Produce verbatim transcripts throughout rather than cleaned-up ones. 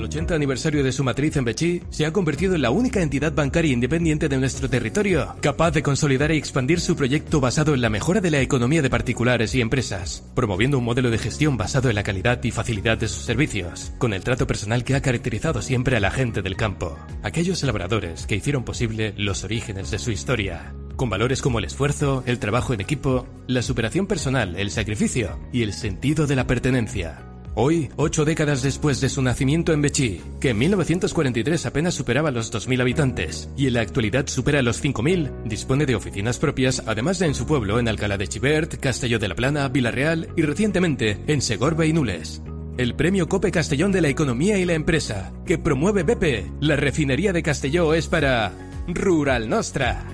ochenta aniversario de su matriz en Betxí, se ha convertido en la única entidad bancaria independiente de nuestro territorio, capaz de consolidar y expandir su proyecto basado en la mejora de la economía de particulares y empresas, promoviendo un modelo de gestión basado en la calidad y facilidad de sus servicios, con el trato personal que ha caracterizado siempre a la gente del campo, aquellos labradores que hicieron posible los orígenes de su historia, con valores como el esfuerzo, el trabajo en equipo, la superación personal, el sacrificio y el sentido de la pertenencia. Hoy, ocho décadas después de su nacimiento en Betxí, que en mil novecientos cuarenta y tres apenas superaba los dos mil habitantes y en la actualidad supera los cinco mil, dispone de oficinas propias, además de en su pueblo en Alcalá de Xivert, Castelló de la Plana, Vila-real y recientemente en Segorbe y Nules. El Premio Cope Castellón de la Economía y la Empresa, que promueve B P, la refinería de Castelló, es para Rural Nostra.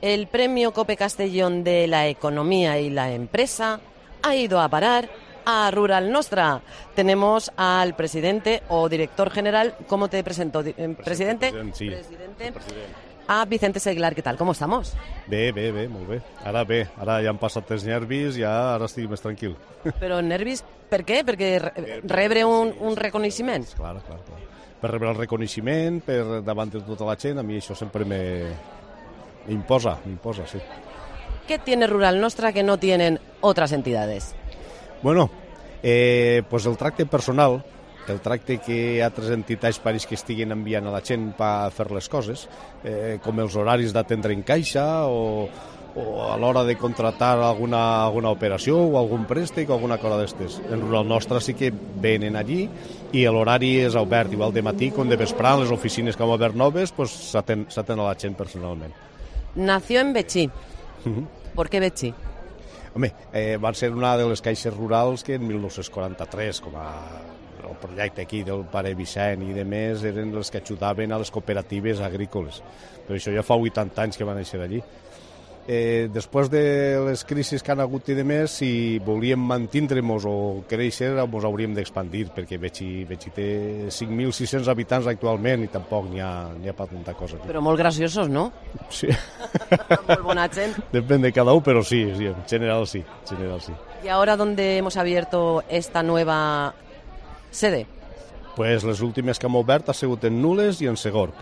El Premio Cope Castellón de la Economía y la Empresa ha ido a parar a Rural Nostra. Tenemos al presidente o director general, ¿cómo te presento? ¿Presidente? President, sí. Presidente. A Vicente Seglar, ¿qué tal? ¿Cómo estamos? Bé, bé, bé, molt bé. Ara bé, ara ja han passat els nervis, ja ara estic més tranquil. Però nervis, per què? Perquè re rebre un, un reconeixement? Clar, clar, clar. Per rebre el reconeixement, per davant de tota la gent, a mi això sempre me m'imposa, m'imposa, sí. ¿Qué tiene Rural Nostra que no tienen otras entidades? Bueno, eh, pues el tracte personal, el tracte que altres entitats pareix que estiguin enviant a la gent per fer les coses, eh, com els horaris d'atendre en caixa o, o a l'hora de contratar alguna, alguna operació o algun préstec o alguna cosa d'estes. En Rural Nostra sí que venen allí i l'horari és obert, igual de matí com de vesprà, les oficines que han obert noves, pues s'atén a la gent personalment. Nació en Betxí. Uh-huh. ¿Por qué Betxí? Home, eh, van ser una de les caixes rurals que en mil nou-cents quaranta-tres, com a el projecte aquí del pare Vicent i de més, eren els que ajudaven a les cooperatives agrícoles. Però això ja fa vuitanta anys que van néixer allí. Eh, després de les crisis que han hagut i de més, si volíem mantindre-nos o créixer, ens hauríem d'expandir, perquè Betxí, Betxí té cinc mil sis-cents habitants actualment i tampoc n'hi ha, n'hi ha per tanta cosa. Però molt graciosos, ¿no? Sí. Molt bona gent. Depèn de cada un, però sí, sí, en general sí, en general sí. ¿Y ahora dónde hemos abierto esta nueva sede? Pues les últimes que hem obert ha sigut en Nules i en Segorb.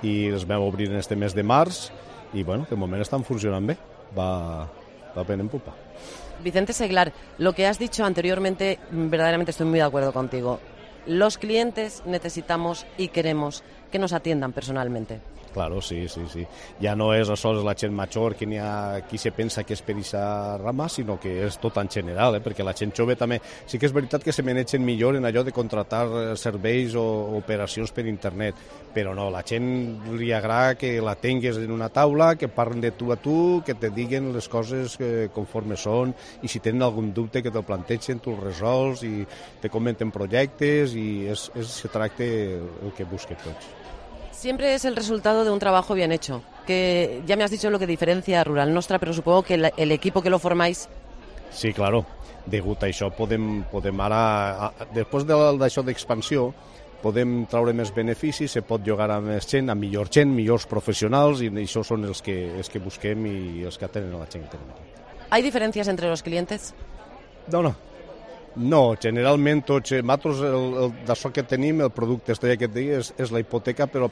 I les vam obrir en este mes de març i, bueno, de moment estan funcionant bé. Va, va ben en pupa. Vicente Seglar, lo que has dicho anteriormente, verdaderamente estoy muy de acuerdo contigo. Los clientes necesitamos y queremos que nos atiendan personalmente. Claro, sí, sí, sí. Ja no és sols la gent major que n'hi ha qui se pensa que és per aquesta rama, sinó que és tot en general, eh? Perquè la gent jove també... Sí que és veritat que se manegen millor en allò de contratar serveis o operacions per internet, però no, la gent li agrada que la tingues en una taula, que parlen de tu a tu, que te diguen les coses que, conforme són, i si tenen algun dubte que te'l plantegen, tu el resols i te comenten projectes i és, és se tracte el que busquen tots. Siempre es el resultado de un trabajo bien hecho, que ya me has dicho lo que diferencia a Rural Nostra, pero supongo que el, el equipo que lo formáis... Sí, claro. Degut a això podem, podem ara, després d'això d'expansió, podem traure més beneficis, se pot llogar a més gent, a millor gent, millors professionals, i això són els que, els que busquem i els que atenen a la gent que tenim aquí. ¿Hay diferencias entre los clientes? No, no. No, generalment tots, nosaltres d'això que tenim, el producte estrella que et digui és, és la hipoteca, però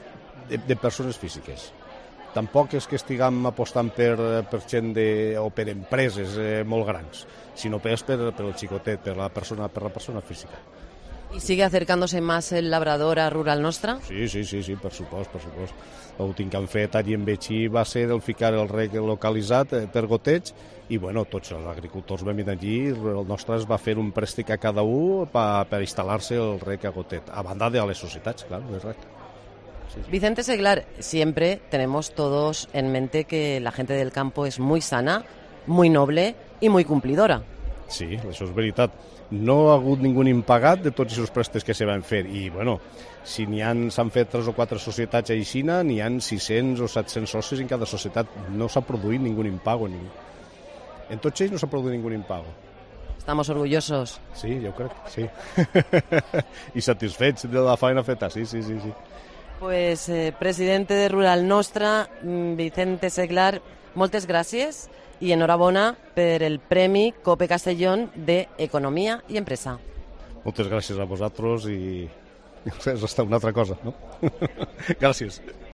de, de persones físiques. Tampoc és que estiguem apostant per, per gent de, o per empreses eh, molt grans, sinó per, per, per el xicotet, per la persona, per la persona física. ¿Y sigue acercándose más el labrador a Rural Nostra? Sí, sí, sí, sí, per supost, per supost. L'últim que han fet allí en Betxí va ser el ficar el rec localitzat per goteig i, bueno, tots els agricultors vam ir allí, el nostre es va fer un préstec a cada un per, per instal·lar-se el rec a gotet, a banda de les societats, clar, el rec. Sí, sí. Vicente Seglar, siempre tenemos todos en mente que la gente del campo es muy sana, muy noble y muy cumplidora. Sí, això és veritat. No ha hagut ningú impagat de tots els préstecs que se van fer i, bueno, si n'hi han, s'han fet tres o quatre societats a Aixina, n'hi han sis-cents o set-cents socis en cada societat. No s'ha produït ningú impago. Ningú. En tots ells no s'ha produït ningú impago. Estamos orgullosos. Sí, jo crec, sí. I satisfets de la feina feta, sí, sí, sí. sí. Pues, eh, presidente de Rural Nostra, Vicente Seglar, moltes gràcies i enhorabona per el Premi Cope Castellón de Economia i Empresa. Moltes gràcies a vosaltres i És una altra cosa, no? Gràcies.